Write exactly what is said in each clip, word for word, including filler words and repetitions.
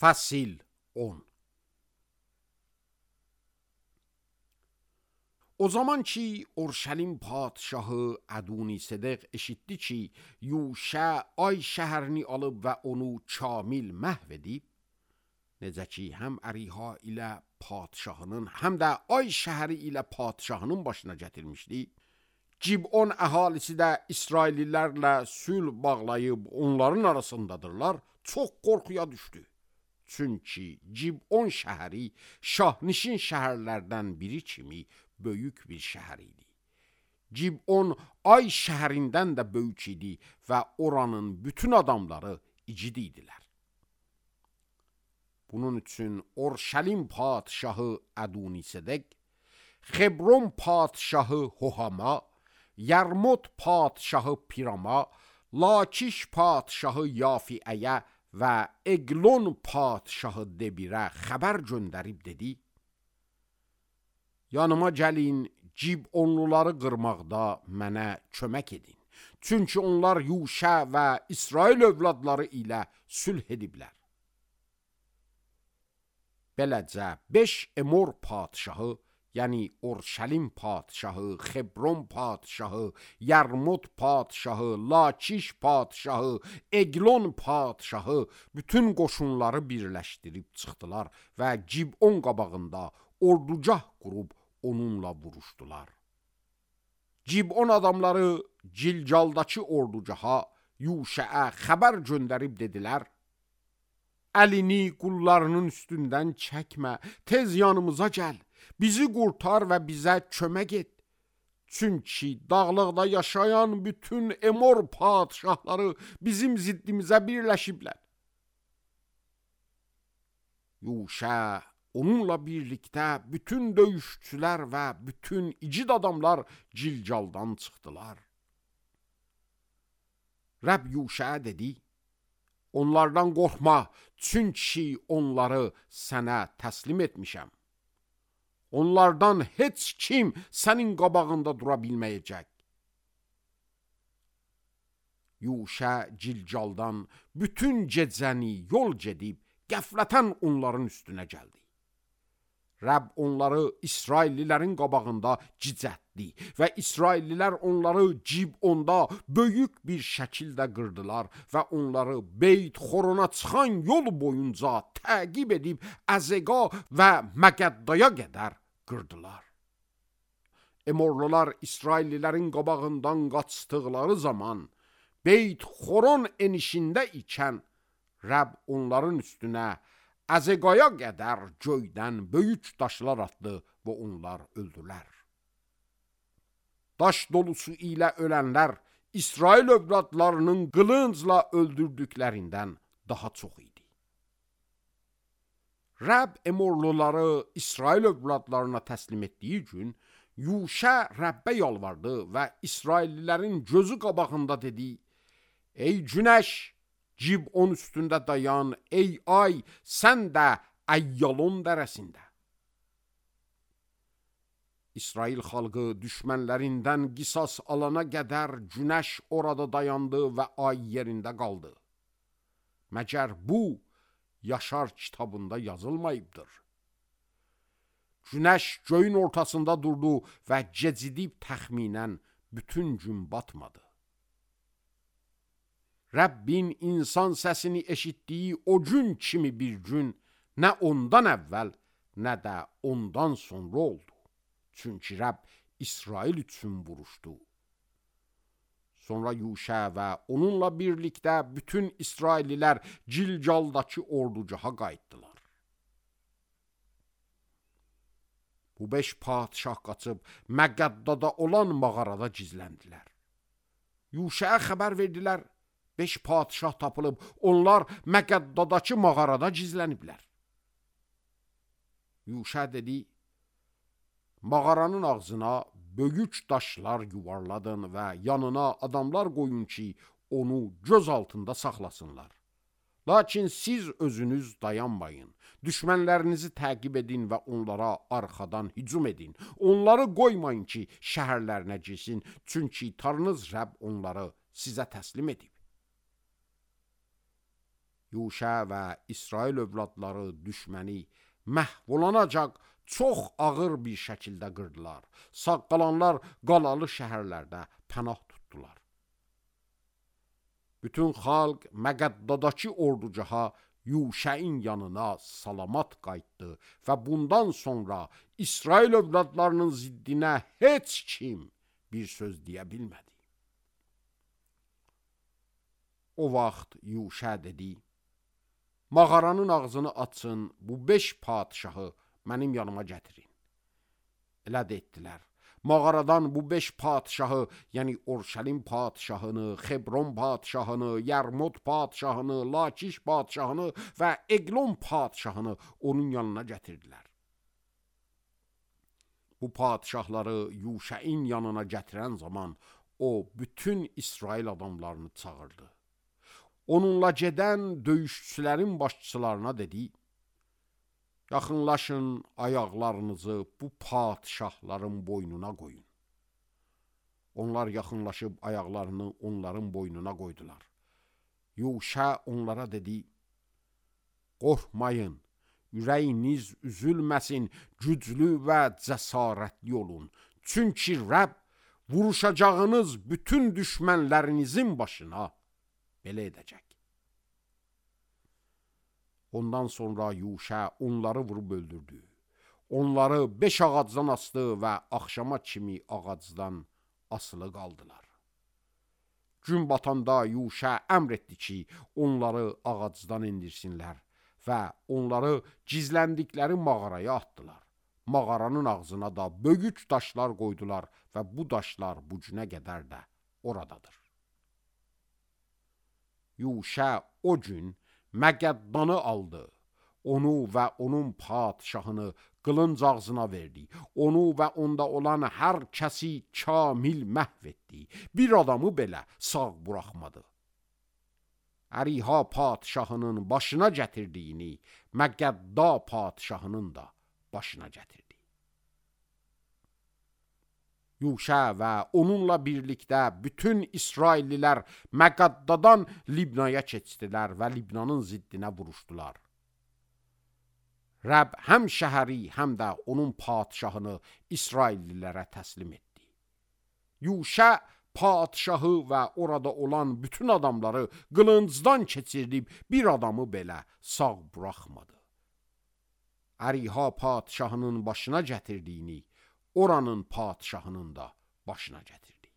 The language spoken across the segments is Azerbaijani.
Fəsil on. O zaman ki Urşəlim padşahı Ədunisedq eşitdi ki, Yuşə ay şəhərini alıb və onu kamil məhv edib, necə ki həm əriha ilə padşahının, həm də ay şəhəri ilə padşahının başına gətirmişdi, Cib'on əhalisi də İsraillilərlə sülh bağlayıb onların arasındadırlar, çox qorxuya düşdü. Çünki Cib'on şəhəri şahnişin şəhərlərdən biri kimi böyük bir şəhər idi. Cib'on ay şəhərindən də böyük idi və oranın bütün adamları igid idilər. Bunun üçün Urşəlim padşahı Ədunisedq, Xebron padşahı Hohama, Yarmut padşahı Pirama, Lakiş padşahı Yafiəyə və Eglon padşahı Debirə xəbər göndərib dedi: yanıma gəlin, Cib'onluları qırmaqda mənə kömək edin. Çünki onlar Yuşə və İsrail övladları ilə sülh ediblər. Beləcə beş Emor padşahı, yəni Urşəlim padşahı, Xebron padşahı, Yarmut padşahı, Lakiş padşahı, Eglon padşahı bütün qoşunları birləşdirib çıxdılar və Cib'on qabağında ordugah qurub onunla vuruşdular. Cib'on adamları Cilcaldakı ordugaha Yuşəə xəbər göndərib dedilər: əlini qullarının üstündən çəkmə, tez yanımıza gəl, bizi qurtar və bizə kömək et. Çünki dağlıqda yaşayan bütün Emor padşahları bizim ziddimizə birləşiblər. Yuşə onunla birlikdə bütün döyüşçülər və bütün igid adamlar Cilcaldan çıxdılar. Rəbb Yuşəyə dedi: onlardan qorxma, çünki onları sənə təslim etmişəm. Onlardan heç kim sənin qabağında dura bilməyəcək. Yuşə Cilcaldan bütün gecəni yol gedib qəflətən onların üstünə gəldi. Rəbb onları İsraillilərin qabağında cicətdi və İsraillilər onları Cib'onda böyük bir şəkildə qırdılar və onları Beyt Xorona çıxan yol boyunca təqib edib Əzəqa və Məqəddaya qədər qırdılar. Emorlular İsraillilərin qabağından qaçdıqları zaman Beyt Xoron enişində ikən Rəbb onların üstünə Əzəqaya qədər göydən böyük daşlar atdı və onlar öldülər. Daş dolusu ilə ölənlər İsrail övladlarının qılıncla öldürdüklərindən daha çox idi. Rəbb Emorluları İsrail övladlarına təslim etdiyi gün Yuşə Rəbbə yalvardı və İsraillilərin gözü qabağında dedi: ey günəş, Cib'on üstündə dayan, ey ay, sən də Əyyalon dərəsində. İsrail xalqı düşmənlərindən qisas alana qədər günəş orada dayandı və ay yerində qaldı. Məgər bu, Yaşar kitabında yazılmayıbdır. Günəş göyün ortasında durdu və gecidib təxminən bütün gün batmadı. Rəbbin insan səsini eşitdiyi o gün kimi bir gün nə ondan əvvəl, nə də ondan sonra oldu. Çünki Rəbb İsrail üçün vuruşdu. Sonra Yuşə və onunla birlikdə bütün İsraillilər Cilcaldakı ordugaha qayıtdılar. Bu beş padşah qaçıb Məqəddada olan mağarada gizləndilər. Yuşəyə xəbər verdilər: beş padşah tapılıb, onlar Məqəddadakı mağarada gizləniblər. Yuşə dedi: mağaranın ağzına böyük daşlar yuvarladın və yanına adamlar qoyun ki, onu göz altında saxlasınlar. Lakin siz özünüz dayanmayın, düşmənlərinizi təqib edin və onlara arxadan hücum edin. Onları qoymayın ki, şəhərlərinə girsin, çünki Tanrınız Rəbb onları sizə təslim edib. Yuşa və İsrail övladları düşməni məhv olunacaq çox ağır bir şəkildə qırdılar. Sağ qalanlar qalalı şəhərlərdə pənah tutdular. Bütün xalq Məqəddadakı orducaha Yuşəin yanına salamat qayıtdı və bundan sonra İsrail övladlarının ziddinə heç kim bir söz deyə bilmədi. O vaxt Yuşə dedi: mağaranın ağzını açın, bu beş padişahı mənim yanıma gətirin. Elə də etdilər. Mağaradan bu beş padişahı, yəni Orşəlim padişahını, Xebron padişahını, Yərmut padişahını, Lakiş padişahını və Eqlon padişahını onun yanına gətirdilər. Bu padişahları Yuşəin yanına gətirən zaman o bütün İsrail adamlarını çağırdı. Onunla gedən döyüşçülərin başçılarına dedi: yaxınlaşın, ayaqlarınızı bu padişahların boynuna qoyun. Onlar yaxınlaşıb ayaqlarını onların boynuna qoydular. Yuşa onlara dedi: qorxmayın, ürəyiniz üzülməsin, güclü və cəsarətli olun. Çünki Rəbb vuruşacağınız bütün düşmənlərinizin başına belə edəcək. Ondan sonra Yuşa onları vurub öldürdü. Onları beş ağacdan asdı və axşama kimi ağacdan asılı qaldılar. Gün batanda Yuşa əmr etdi ki, onları ağacdan indirsinlər və onları gizləndikləri mağaraya atdılar. Mağaranın ağzına da böyük daşlar qoydular və bu daşlar bu günə qədər də oradadır. Yuşa o gün Məqəddanı aldı, onu və onun padişahını qılınc ağzına verdi, onu və onda olan hər kəsi kamil məhv etdi, bir adamı belə sağ buraxmadı. Əriha padişahının başına gətirdiyini Məqədda padişahının da başına gətirdi. Yuşa və onunla birlikdə bütün İsraillilər Məqəddadan Libnaya keçdilər və Libnanın ziddinə vuruşdular. Rəbb həm şəhəri, həm də onun padişahını İsraillilərə təslim etdi. Yuşa padişahı və orada olan bütün adamları qılıncdan keçirdib bir adamı belə sağ buraxmadı. Əriha padişahının başına gətirdiyini oranın padişahının da başına gətirdi.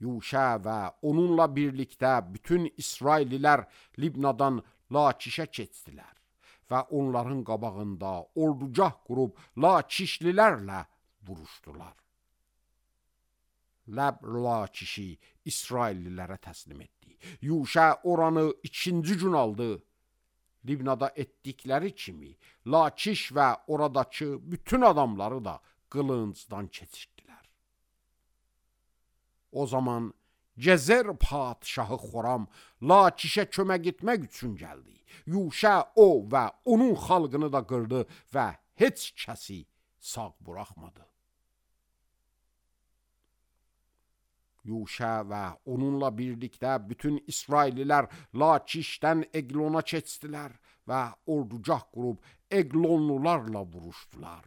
Yuşa və onunla birlikdə bütün İsraillilər Libnadan Lakişə keçdilər və onların qabağında ordugah qurub Lakişlilərlə vuruşdular. Ləb Lakişi İsraillilərə təslim etdi. Yuşa oranı ikinci gün aldı. Libnada etdikləri kimi Lakiş və oradakı bütün adamları da qılıncdan keçirdilər. O zaman Gezer padişahı Xoram Lakişə kömək etmək üçün gəldi. Yuşa o və onun xalqını da qırdı və heç kəsi sağ buraxmadı. Yuşa və onunla birlikdə bütün İsraillilər Lakişdən Eglona keçdilər və ordugah qurub Eglonlularla vuruşdular.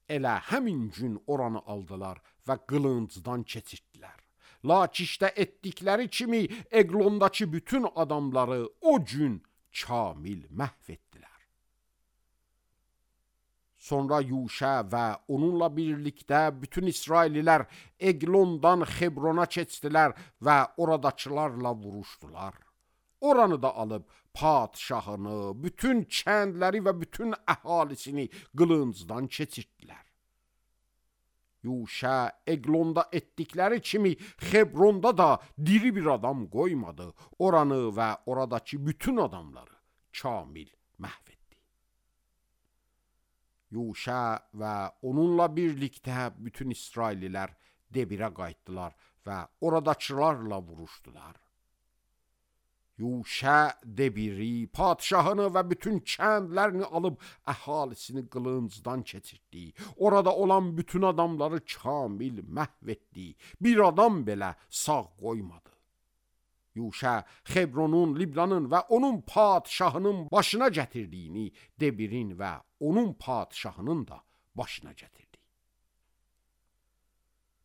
Elə həmin gün oranı aldılar və qılıncdan keçirdilər. Lakişdə etdikləri kimi Eglondakı bütün adamları o gün kamil məhv etdilər. Sonra Yuşa və onunla birlikdə bütün İsraillilər Eglondan Xebrona keçdilər və oradakılarla vuruşdular. Oranı da alıb padişahını, bütün kəndləri və bütün əhalisini qılıncdan keçirdilər. Yuşa Eglonda etdikləri kimi Xebronda da diri bir adam qoymadı. Oranı və oradakı bütün adamları kamil məhv etdi. Yuşa və onunla birlikdə bütün İsraillilər Debirə qayıtdılar və oradakılarla vuruşdular. Yuşa Debiri, padişahını və bütün kəndlərini alıb əhalisini qılıncdan keçirdi. Orada olan bütün adamları kamil məhv etdi. Bir adam belə sağ qoymadı. Yuşa Xebronun, Libnanın və onun padşahının başına gətirdiyini Debirin və onun padşahının da başına gətirdi.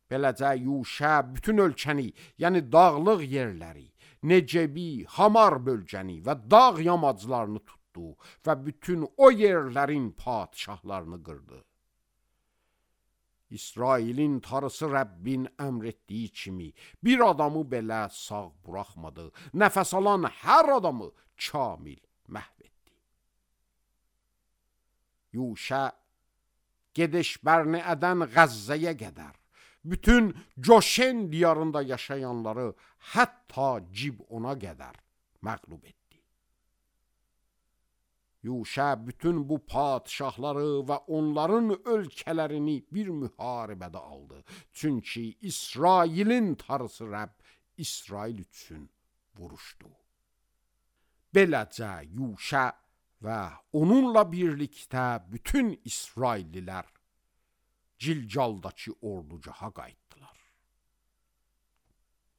Beləcə Yuşa bütün ölkəni, yəni dağlıq yerləri, Necebi, Hamar bölgəni və dağ yamaclarını tutdu və bütün o yerlərin padşahlarını qırdı. İsrailin tarısı Rəbbin əmr etdiyi kimi bir adamı belə sağ buraxmadı. Nəfəs alan hər adamı kamil məhv etdi. Yuşa Gedeş Bərneədən Qəzzəyə qədər bütün Coşen diyarında yaşayanları hətta Cibona qədər məğlub etdi. Yuşa bütün bu padşahları və onların ölkələrini bir müharibədə aldı. Çünki İsrailin tarısı Rəbb İsrail üçün vuruşdu. Beləcə Yuşa və onunla birlikdə bütün İsraillilər Cilcaldakı ordugaha qayıtdılar.